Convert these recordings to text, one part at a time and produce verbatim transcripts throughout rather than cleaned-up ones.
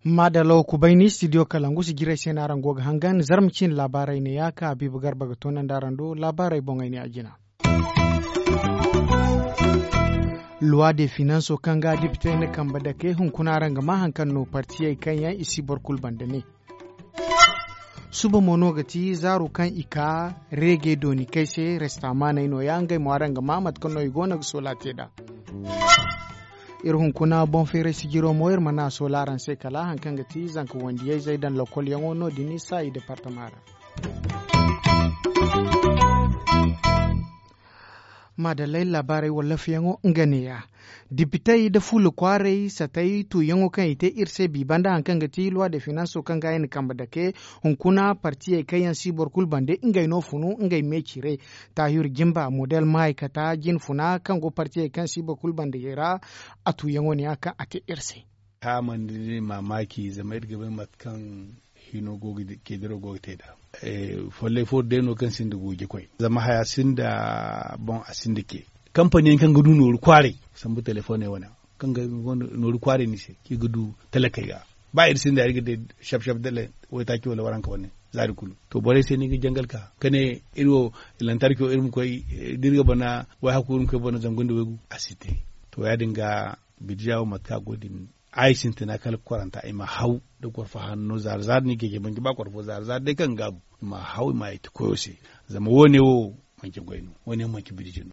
Maadalaw kubayni studio kalangu si jirey se no araŋ go ga hangan zarma ciine laabaarey ne ya ka habiiba garba ga toonandi araŋ do laabaarey boŋey ne a jina. Luwa de finanso kaŋ ga dipitey na kambe dake hunkuna araŋ ga ma haŋ kaŋ no partiyey kaŋ yaŋ i si boro kulu banda ne. Suba mo no ga ti zaaru kaŋ i ka reege dooni kay se restamaaney no- ya ngey mo araŋ ga ma mate kaŋ no i go no ga soola te nd'a. Iri hunkuna boŋ feeray sijiro mo iri mana soola araŋ se kala haŋ kaŋ ga ti zanka wandiyey zey daŋ lokolyaŋo no- din saayi departama ra. Maadallay laabaarey wallafyaŋo nga neeya. Dipitey nda fuula kwaaray satay tuuyaŋo kaŋ i te iri se bi banda haŋ kaŋ ga ti luwa de finanso kaŋ ga ay na kambe dake hunkuna partiyey kaŋ yaŋ si boro kulu bande ngey no funu ngey meecire. Taahir jimba model maaykata jinfuna kaŋ go partiyey kaŋ si boro kulu bande ra a tuuyaŋo neeya kaŋ a te iri se. Haya mana ni mamaki zama iri ga bay mate kaŋ hino go ga te nd'a. Follay fo day no kaŋ sinda guuji koy zama haya sinda boŋ a sinda ce. Kampani yaŋ kaŋ ga du nooru kwaaray sambu telefoney wane kaŋ ga nooru kwaaray ni se kaŋ i ga du talakey ga. Ba iri sinda iri ga day shap shap dala waytaaci wala waranka wane zaari kulu. To borey se ni ga jangal ka ka ne iri wo lantarki wo iri ma koy da iri ga bana wayhaku iri ma koy bana zangu nda waygu a si te. To ya- din ga bidija wo mate kaŋ a go din ay sintina kala kwaranta i ma haw da kwarfa hanno zaari zaari no i ga i ga banji ba kwarfo zaari zaari day kaŋ ga gaabu i ma haw i ma ay ti koyo se. Zama wo- ne wo manci goy no wo- ne wo manci birji no.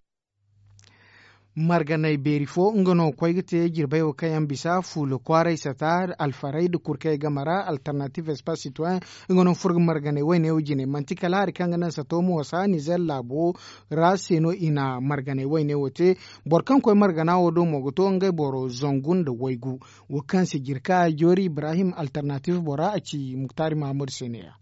Marganay beeri fo nga no ga koy ga te jirbey wo kaŋ yaŋ bisa fuula kwaaray sata alfarey nda kurkey game ra alternative espace citoyen. Nga no ga furo ga marganay wayne wo jine manti kala hari kaŋ ga naŋ sato mo sa nizer laabo ra se no i na marganay wayne wo te. Boro kaŋ koy margana wo do mo ga to ngey boro zangu nda waygu. Wo kaŋ se jirka joori ibrahim alternative bora a ci muktaari mahammadu se ne- ya.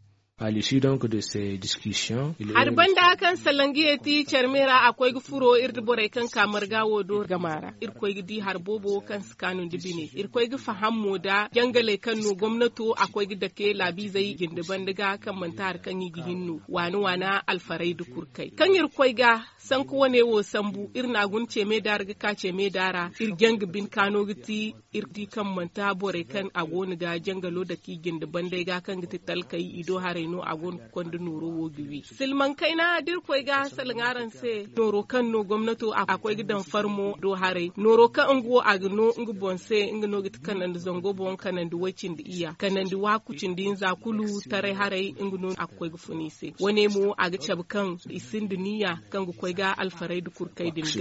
Hari banda kaŋ salangiye ti care me ra a koy ga furo iri nda borey kaŋ ka marga wo do game ra iri koy ga di hari boobo kaŋ si kaanu nda bine iri koy ga faham mo nda jangaley kaŋ no gomnato a koy ga dake laabiizey jinde banda ga kaŋ manti hari kaŋ i ga hin no waana waana alfarey nda kurkey kaŋ iri koy ga sanku wane wo sambu iri na a guna ce me da ra ga ka ce me da ra iri janga bine kaano ga ti. Iri di kaŋ manti borey kaŋ a go no ga jangalo dake i jinde bandey ga kaŋ ga ti talkey i do haray no a go no ga konda nooro wo ga wi silmaŋ kayna da iri koy ga salaŋ araŋ se nooro kaŋ no gomnato a koy ga daŋ farmo do haray nooro kaŋ nga wo a ga no nga boŋ se nga no ga ti kanandi zango boŋ kanandi way-cindi iyya kanandi waaku cindi hinza kulu taray haray nga no a ga koy ga funa i se wane mo a ga cabe kaŋ i sinda niyya kaŋ ga koy ga alfarey nda kurkey din ga.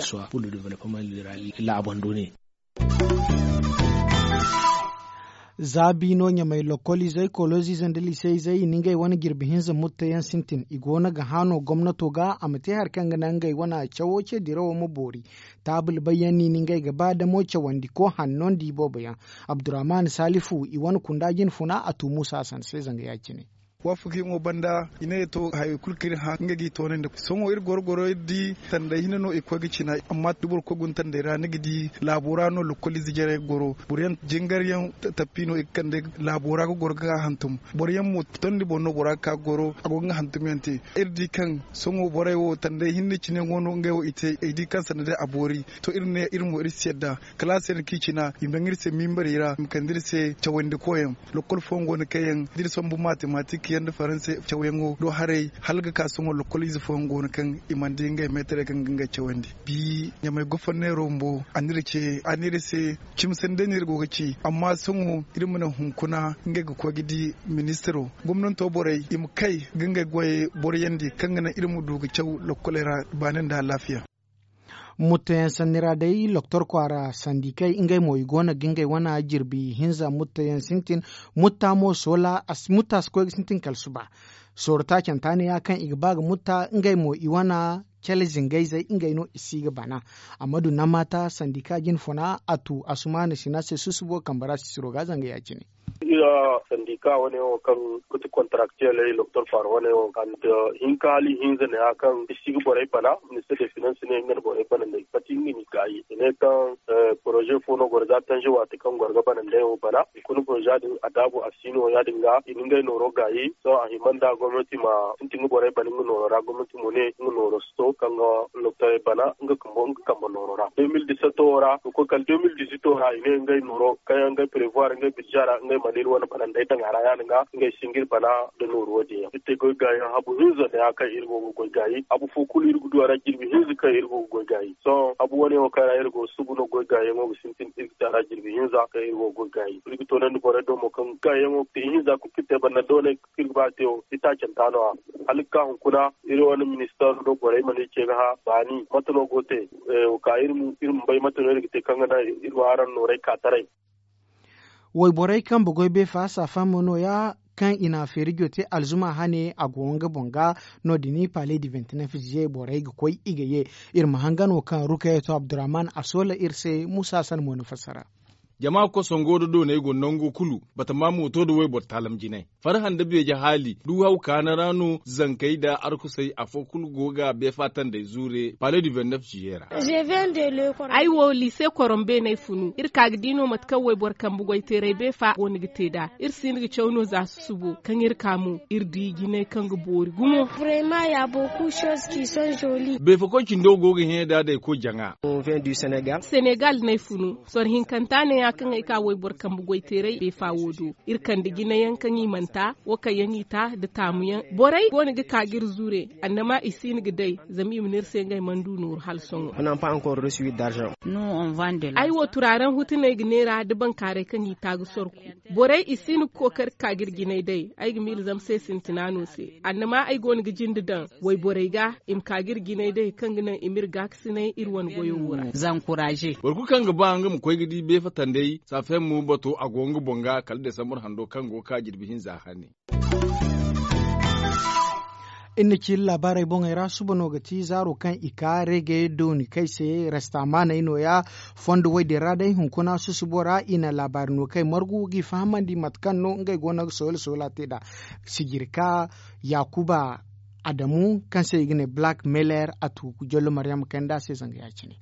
Za biino ɲamay lokoliizey koleezey nda liseizey i na ngey wane jirbi hinza mutta yaŋ sintin i go no ga hã no gomnato ga a ma te hari kaŋ ga naŋ ngey wane cawo ce dirawo ma boori. Taabul bay yaŋ no i na ngey ga ba damo cawandi ko hanno nda iboobo yaŋ. Abdurrahman salifu i wane kunda jinfuna a tu muusa hasan se zanga ya- cine. Waafakiyaŋo banda i ne to hayey kulu kaŋ iri hã nga ga i toonandi sohõ iri goro goro iri di tanday hinne no i ga koy ga cina. Amma da boro koy guna tanday ra ni ga di laabo ra no lokoliize jarey ga goro. Boro yaŋ jingar yaŋ tappi no i ga kande laabo ra ga goro ga hantum. Boro yaŋ mo tondi boŋ no bora ga ka ga goro a go ga nga hantumyaŋ te. Iri di kaŋ sohõ borey wo tanday hinne cine go no ngey wo i te ay di kaŋ sanda day a boori. To iri ne iri mo iri si yadda kalaasey din kaŋ i cina i ma daŋ iri se mimbari ra i ma kande iri se cawandi koyaŋ. Lokkol fooyaŋ go no kaŋ yaŋ da iri sambu matematik yaŋ nda faranse cawyaŋo do haray hala ga ka sohõ lokkol ize fooyaŋ go no kaŋ i mana di ngey meetarey kaŋ ga ngey cawandi. Bi ɲamay goforneero bumbo a n'iri ce a n'iri se cimi sanday no iri go ga ci amma sohõ iri ma naŋ hunkuna ngey ga koy ga di ministiro gomnanto borey i ma kay ga ngey goyey boroyandi kaŋ ga naŋ iri ma du ga caw lokkoley ra baani nda alaafiya. Mutta yaŋ sanni ra day loktor kwaara sandikey ngey mo i go no ga ngey wane jirbi hinza mutta yaŋ sintin. Mutta mo soola mutta si koy ga sintin kala suba. Sooro taacanta ne ya kaŋ i ga ba ga mutta ngey mo i wane cale zingayzey ngey no i si ga bana. Amma du namaata sandika jinfuna a tu asumaana sina se susubo kambe ra sisiro ga zanga ya- cine. Iri sandika wane wo kaŋ ga ti kontaraktiyeeley loktor faaro wane wo kala nda hinka hala ihinza ne ya kaŋ i si ga borey bana. Minister de finance ne nga na borey bana nda i ga pati nga n'i gaayi i ne kaŋ poroze fo no goro za tanze waati kaŋ goro ga bana nda yaŋ wo bana. Hunkuna borza din a daabu a si no ya- din ga i na ngey nooro gaayi sohõ a hima nda gomnati ma sintin ga borey bana nga nooro ra gomnati mo ne nga nooro si to kaŋ ga loktorey bana nga kambe nooro ra. De mil diseto wo ra ga koy kala de mil diseto wo ra i ne ngey nooro kaŋ yaŋ ngey prevoir ngey birza ra ngey mana iri wane bana nda ay daŋ a ra ya- din ga ngey si nga iri bana nda nooru wo- din yaŋ iri te goy gaayi habu hinza nda ya kaŋ iri go ga goy gaayi habu fo kulu iri ga du a ra jirbi hinza kaŋ iri go ga goy gaayi sohõ habu wane wo kaŋ ra iri go ga subu no goy gaayi yaŋo ga sintin iri ga te a ra jirbi hinza kaŋ iri go ga goy gaayi iri ga toonandi borey do mo kaŋ gaayi yaŋo ga te ihinza kulu kaŋ iri te banda doonay kaŋ iri ga ba ga te wo itaacanta no- ya hala ga ka hunkuna iri wane ministeero do borey mana iri ce ga hã baani mate no go ga te? Wa ka iri ma bay mate no iri ga te kaŋ ga naŋ iri ma araŋ noorey ka taray. Wayborey kaŋ bugoy beefa saafaamo no- ya kaŋ i na feerijo te alzuma hane a go nga boŋ ga. No- din pale di vintinef ziye borey ga koy i ga ye. Iri ma hangan wo kaŋ rukayeto abdurrahman a soola iri se muusa hassan mo na fassara. Jama kosongo nda dooney go nango kulu batama mooto nda wayboro taalam jinay farha nda beeje haali du haw kaana ra no zankey nda arkusey afo kulu go ga beefa tandey zuure pale du vennef jiye ra. Ay wo liise korombe no ay funu iri ka ga di no mate kaŋ wayboro kambe goyteeray beefa go no ga te nd'a. Iri si hin ga caw no za susubo kaŋ iri ka mo iri di jinay kaŋ ga boori gumo. Beefakoy cindo go ga hẽ da day koy jaŋa. Senegal no ay funu soro hinkanta ne ya kaŋ ay ka wayboro kambe goyteeray beefa wo do. Iri kande jinayaŋ kaŋ i mana ta wo kaŋ yaŋ i ta nda taamuyaŋ borey go no ga ka ga iri zure annama i si hin ga day. Zama i ma ne iri se ngey mana du nooru hala sohõ. Ay wo turaaraŋ hutu no ay ga neera nda bankaaray kaŋ i ta ga sorku. Borey i si hin ga kookari ga ka ga iri jinay day ay ga miila zama se sintina no se annama ay go no ga jinde daŋ wayborey ga i ma ka ga iri jinay day kaŋ ga naŋ i ma iri gaakasinay iri wane goyo wo ra. Boro kulu kaŋ ga ba nga ma koy ga di beefatandey saafayaŋ mo bato a go nga boŋ ga kala desambur hando kaŋ go ga ka jirbi hinza hane. Iri na ciiri laabaarey boŋey ra suba no ga ti zaaro kaŋ i ka reege dooni kay se restamaaney no- ya. Fondo woy din ra day hunkuna susubo ra i na laabaari no kay margu g'i fahamandi mate kaŋ no ngey go no ga soola soola te nd'a. Sijirka yaakuba adamu kaŋ se i ga ne black meler a tu jollo maryam kay nd'a se zanga ya- cine.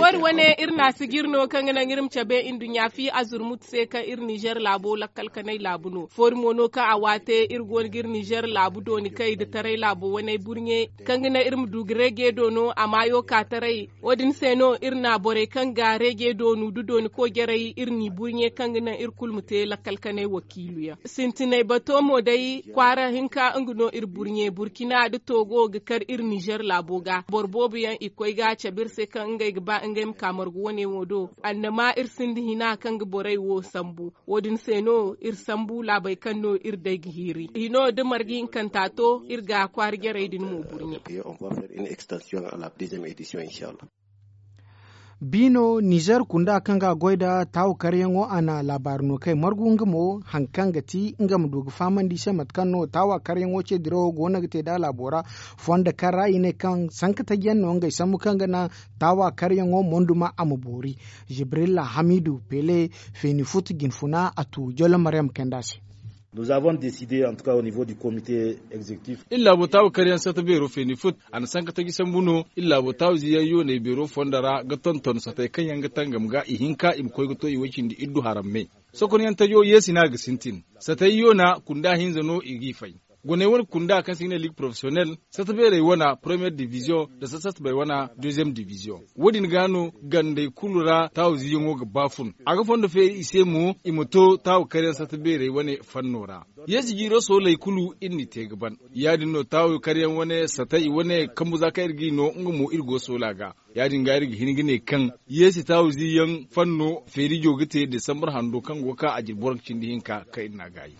Foori wane iri na a sijiri no kaŋ ga naŋ iri ma cabe nduɲɲa fi azurmut se kaŋ iri nizer laabo lakkal kanay laabu no foori mo no kaŋ a waate iri go no ga iri nizer laabu dooni kay nda taray laabo waney burɲe kaŋ ga naŋ iri ma du ga reeje do no a maayo ka taray. Wo- din se no iri na borey kaŋ ga reeje doonu nda dooni koojarey iri n'i burɲe kaŋ ga naŋ iri kulu ma te lakkal kanay wakiilu yaŋ. Sintinay bato mo day kwaara hinka nga no iri burɲe burkina nda toogo ga kar iri nizer laabo ga boro boobo yaŋ i koy ga cabe iri se kaŋ ngey ga ba ngey ma ka margu wane wo do. Annama iri sinda hina kaŋ ga borey wo sambu. Wo- din se no iri sambu laabey kaŋ no iri day ga hiiri hino nda marga hinkanta to iri ga kwaara jarey din mo burɲe. Biino nizer kunda kaŋ ga a goy nda taawa karyaŋo a na laabaari no kay margu nga mo hari kaŋ ga ti nga ma du ga fahamandi i se mate kaŋ no taawa karyaŋo ce dirawo go no ga te nd'a laabo ra. Fondo kaŋ ra i ne kaŋ sanka taji yaŋ no ngey sambu kaŋ ga naŋ taawa karyaŋo monduma a ma boori. Jibrilla hamidu pele feeni futu jinfuna a tu jollo maryam kaynd'a se. Iri laabo taawa karyaŋ sata beero feeni fut a na sanka taji sambu no. Iri laabo taawa ziyaŋ yooney beero fondo ra ga tonton satey kaŋ yaŋ ga tangam ga ihinka i ma koy ga to i way cindi iddu haram me. Sokonyaŋ tajo yeesi no a ga sintin. Satey yoona kunda hinza no i g'i fay. Goney wane kunda kaŋ se i ga ne liig porofesiyonel sata beerey wane poromiyere diviziyoŋ nda sata satbey wane deziyeem diviziyoŋ. Wo- din ga no gandey kulu ra taawa ziyaŋo ga ba fun. A ga fondo feeri i se mo i ma to taawa karyaŋ sata beerey wane fanno ra. Yeesi jiiro sooley kulu iri n'i te ga ban. Ya- din no taawa karyaŋ wane satey wane kambu za kaŋ iri g'i no nga mo iri go soola ga. Ya- din ga iri ga hin ga ne kaŋ yeesi taawa ziyaŋ fanno feerijo ga te desambur hando kaŋ go ga ka a jirbi waranka cindi hinka kaŋ iri n'a gaayi.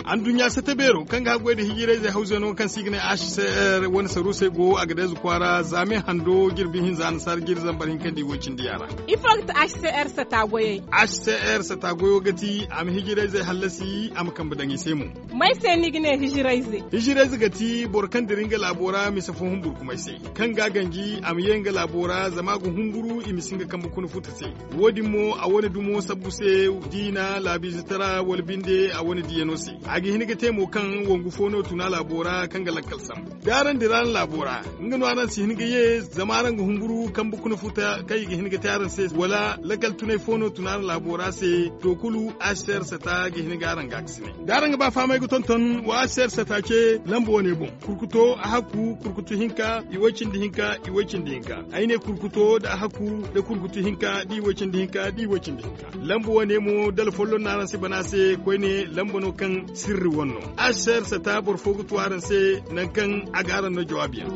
Anduɲɲa sata beero kaŋ ga haggoy nda hijirayzey hawzeno kaŋ se i ga ne h c r wane saruusey go a ga deeze kwaara zaame hando jirbi hinza nasaara jiri zambar hinka nda i woy cindi yaara. Ifo ga ti h c r sata goyey? H c r sata goyo ga ti a ma hijirayzey hallasi a ma kambe daŋ i se mo. May se ni ga ne hijirayze? Hijirayze ga ti boro kaŋ dira nga laabo ra mise fo humburkumay se, kaŋ ga a ganji a ma ye nga laabo ra zama a ga humburu i ma si nga kambe kuna futa se. Wo- din mo a wane dumo sabbu se, diina laabiize tara wala binde a wane diyano se. A ga hin ga te mo kaŋ wangu fo no tuna laabo ra kaŋ ga lakkal sambu da araŋ dira araŋ laabo ra, nga no araŋ si hin ga ye zama araŋ ga humburu kambe kuna futa kaŋ i ga hin ga te araŋ se wala lakkal tunay fo no tuna araŋ laabo ra se. To kulu h c r sata ga hin ga araŋ ga a ga si ne da araŋ ga ba fahamay ga tonton wa h c r sata ce lamba wane boŋ. Kurkuto a hakku kurkutu hinka i way cindi hinka i way cindi hinka. Ay ne kurkuto nda a hakku nda kurkutu hinka da i way cindi hinka da i way cindi hinka. Lamba wane mo dala folloŋ no araŋ si bana se koyne lamba no kaŋ sirri wane no. H c r sata boro fo ga tu araŋ se nangu kaŋ a ga araŋ no jawaabi yaŋ.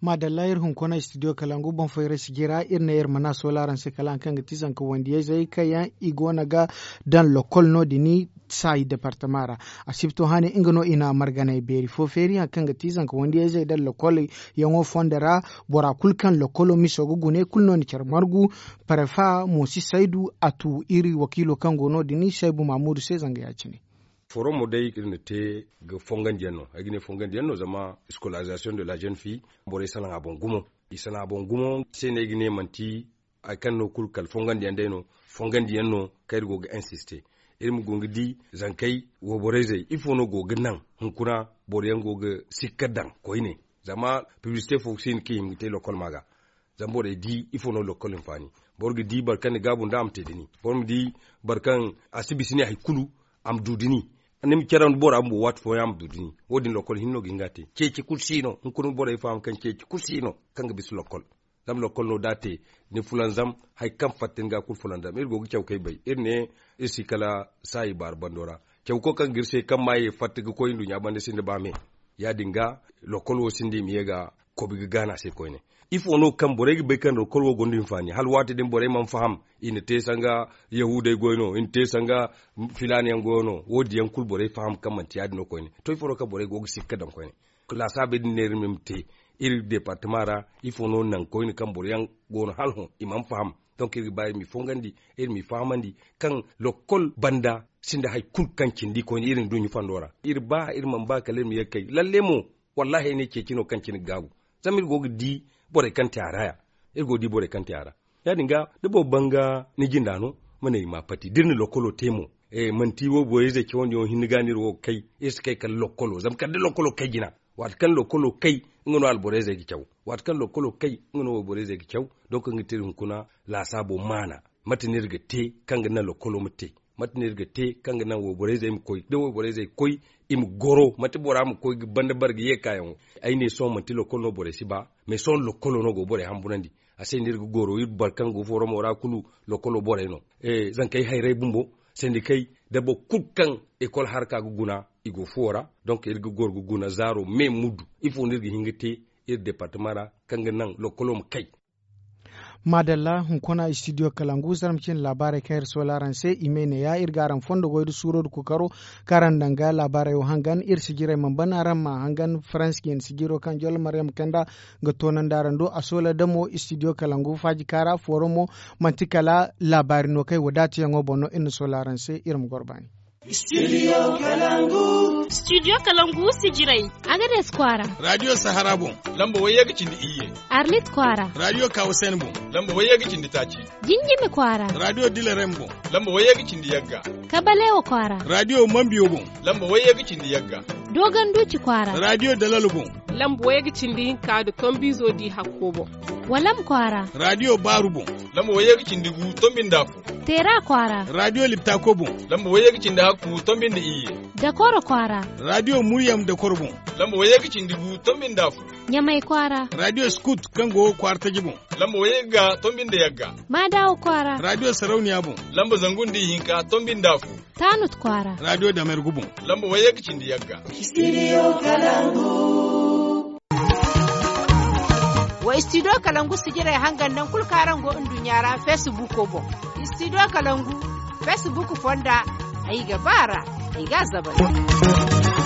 Maadalla iri hunkuna studio kalangu boŋ fo iri sijira iri ne iri mana soola araŋ se kala hari kaŋ ga ti zanka wandiyayzey kaŋ yaŋ i go no ga daŋ lokol no- din saayi departama ra. Asibto hane nga no i na marganay beeri fo feeri hari kaŋ ga ti zanka wandiyayzey daŋ lokol yaŋo fondo ra. Bora kulu kaŋ lokolo miso ga gune kulu no ni care margu. Parefa mo si saydu a tu iri wakiilo kaŋ go no- din saybu mamudu se zanga ya- cine. Foromo day iri na te ga fongandiyaŋ no ay ga ne fongandiyaŋ no zama scolarisation de la jeune fille borey salaŋ a boŋ gumo. I salaŋ a boŋ gumo se no ay ga ne manti hari kaŋ no kulu kala fongandiyaŋ day no. Fongandiyaŋ no kaŋ iri go ga insiste iri ma go ga di zankey wayborey zey ifo no go ga naŋ hunkuna boro yaŋ go ga sikka daŋ koyne. Zama piblisite fo ga si hin kaŋ i hima ga te lokol ma ga zama borey di ifo no lokol hinfaani. Boro ga di boro kaŋ ni gaabu nda a ma te da ni boro ma di boro kaŋ a si bisa ne hari kulu a ma du da ni. Ni ma care nda bora bumbo waati fooyaŋ a ma du da ni wo- din lokol hinne no ga hin ga a te ceeci kulu si no hunkuna borey faham kaŋ ceeci kulu si no kaŋ ga bisa lokol. Zama lokol no da a te ni fulanzam hari kaŋ fatta ni ga kulu fulanzam iri go ga caw kay bay iri ne iri si kala saayi baari bando ra. Caw koy kaŋ ga iri se kaŋ ma ye fatta ga koy nduɲɲa banda sinda ba me. Ya- din ga lokol wo sinda i ma ye ga kobi ga gaana se koyne. Ifo no kaŋ borey ga bay kaŋ lokol wo gonda hinfaani hala waati din borey mana faham i na te sanga yahuudey goy no i na te sanga filaana yaŋ goyo no wo- din yaŋ kulu borey faham kaŋ manti ya- din no koyne. To ifo no kaŋ borey go ga sikka daŋ koyne laasaabey din ne iri ma te iri departama ra. Ifo no naŋ koyne kaŋ boro yaŋ go no hala hõ i mana faham. Donk iri ga ba iri m'i fongandi iri m'i fahamandi kaŋ lokol banda sinda hari kulu kaŋ cindi koyne iri nduɲɲa fondo ra iri ba iri mana ba kala iri ma ye ga kay lalle mo. Wallahi ay ne ceeci no kaŋ cine ga gaabu zama iri go ga di borey kaŋ te a ra ya. Iri go ga di borey kaŋ te a ra ya- din ga da boro banga ni jinda no ma ne i ma a pati da iri na lokolo te mo. Manti wo borey zey cawandi yaŋ hinne ga no iri wo ga kay iri si kay kala lokolo zama kala da lokolo kay jina. Waati kaŋ lokolo kay nga no alborey zey ga caw waati kaŋ lokolo kay nga no wayborey zey ga caw. Donk nga te iri hunkuna laasaabo maana mate no iri ga te kaŋ ga naŋ lokolo ma te mate no iri ga te kaŋ ga naŋ wayborey zey ma koy da wayborey zey ga koy i ma goro mate bora ma koy ga banda bare ga ye ga ka yaŋo. Ay ne sohõ manti lokol no borey si ba mais sohõ lokolo no go ga borey hamburandi. A se no iri ga goro iri boro kaŋ go foromo ra kulu lokolo borey no. Zankey hayrey bumbo sendikey da boro kulu kaŋ ekol harka ga guna i go fuwo ra. Donk iri ga goro ga guna zaaro me muddu ifo no iri ga hin ga te iri departama ra kaŋ ga naŋ lokolo ma kay. Maadalla hunkuna studio kalangu zarma cine laabaarey kaŋ iri soola araŋ se i may ne ya iri ga araŋ fondo goy nda suuro nda kookaro kaŋ araŋ daŋ ga laabaarey wo hangan iri sijirey mana ban araŋ ma hangan faransi jine sijiro kaŋ jollo maryam kanda ga toonandi araŋ do a soola damo studio kalangu faaji kaara fooro mo manti kala laabaari no kaŋ ay wadaatayaŋo boŋ no iri na soola araŋ se iri ma goro baani. Studio kalangu sijirey. Agades kwaara. Radio sahara boŋ. Lamba wayye ga cindi iyye. Arlit kwaara. Radio kawasen boŋ. Lamba wayye ga cindi taaci. Jinjimi kwaara. Radio dilarem boŋ. Lamba wayye ga cindi yagga. Kabalewa kwaara. Radio mambiyo boŋ. Lamba wayye ga cindi yagga. Dogon duci kwaara. Radio dalal boŋ. Lamba wayye ga cindi hinka da tombizo di hakko boŋ. Walam kwaara. Radio baaru boŋ. Lamba wayye ga cindi gu tombinda fo. Teera kwaara. Radio liptako boŋ. Lamba wayye ga cindi hakku tombinda iyye. Dakoro kwaara. Radio muryam dakoro boŋ. Lamba wayye ga cindi gu tombinda fo. Ɲamay kwaara. Radio scout kaŋ go kwaara taji boŋ. Lamba wayye ga tombinda yagga. Maadawo kwaara. Radio sarauniya boŋ. Lamba zangu nda ihinka tombinda fo. Tanut kwaara. Radio damergu boŋ. Lamba wayye ga cindi yagga. Studio kalangu. Studio kalangu sijirey hangan naŋ kulu kaŋ araŋ go nduɲɲa ra feesibuuko boŋ. Studio kalangu feesibuuk fonda, ay ga ba a ra, ay ga a zabari.